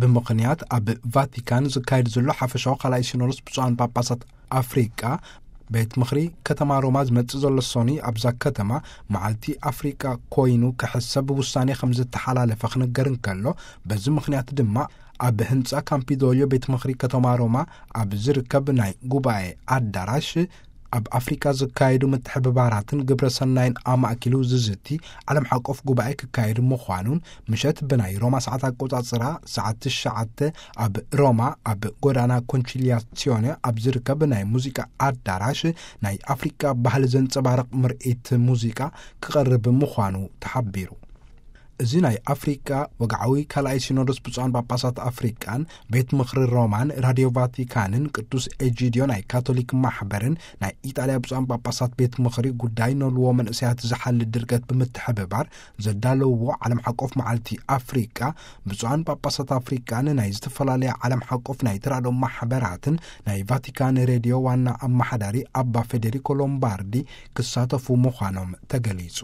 ብምኽንያት ኣብ ቫቲካን ዝካየድ ዘሎ ሓፈሻዊ ካልኣይ ሲኖዶስ ብፁዓን ጳጳሳት ኣፍሪቃ፣ ቤት ምኽሪ ከተማ ሮማ ዝመጽእ ዘሎ ሰኑይ ኣብዛ ከተማ መዓልቲ ኣፍሪቃ ኮይኑ ክሕሰብ ውሳኔ ከም ዝተሓላለፈ ክንገር እንከሎ፣ በዚ ምኽንያት ድማ ኣብ ህንጻ ካምፒዶልዮ ቤት ምኽሪ ከተማ ሮማ ኣብ ዝርከብ ናይ ጉባኤ ኣዳራሽ፣ ኣብ ኣፍሪካ ዝካየዱ ምትሕብባራትን ግብረ ሰናይን ኣማእኪሉ ዝዝቲ ዓለም ሓቆፍ ጉባኤ ክካየድ ምዃኑን፣ ምሸት ብናይ ሮማ ሰዓት ኣቆጻጽራ ሰዓት ትሽዓተ ኣብ ሮማ ኣብ ጎዳና ኮንቺሊያሲዮነ ኣብ ዝርከብ ናይ ሙዚቃ ኣዳራሽ ናይ ኣፍሪካ ባህሊ ዘንጸባርቕ ምርኢት ሙዚቃ ክቐርብ ምዃኑ ተሓቢሩ። እዚ ናይ ኣፍሪቃ ወግዓዊ ካልኣይ ሲኖዶስ ብፁዓን ጳጳሳት ኣፍሪቃን ቤት ምኽሪ ሮማን ራድዮ ቫቲካንን ቅዱስ ኤጂድዮ ናይ ካቶሊክ ማሕበርን ናይ ኢጣልያ ብፁዓን ጳጳሳት ቤት ምኽሪ ጉዳይ ነልዎ መንእሰያት ዝሓሊ ድርገት ብምትሕብባር ዘዳለውዎ ዓለም ሓቆፍ መዓልቲ ኣፍሪቃ፣ ብፁዓን ጳጳሳት ኣፍሪቃን ናይ ዝተፈላለያ ዓለም ሓቆፍ ናይ ተራድኦ ማሕበራትን ናይ ቫቲካን ሬድዮ ዋና ኣመሓዳሪ ኣባ ፌዴሪኮ ሎምባርዲ ክሳተፉ ምዃኖም ተገሊጹ።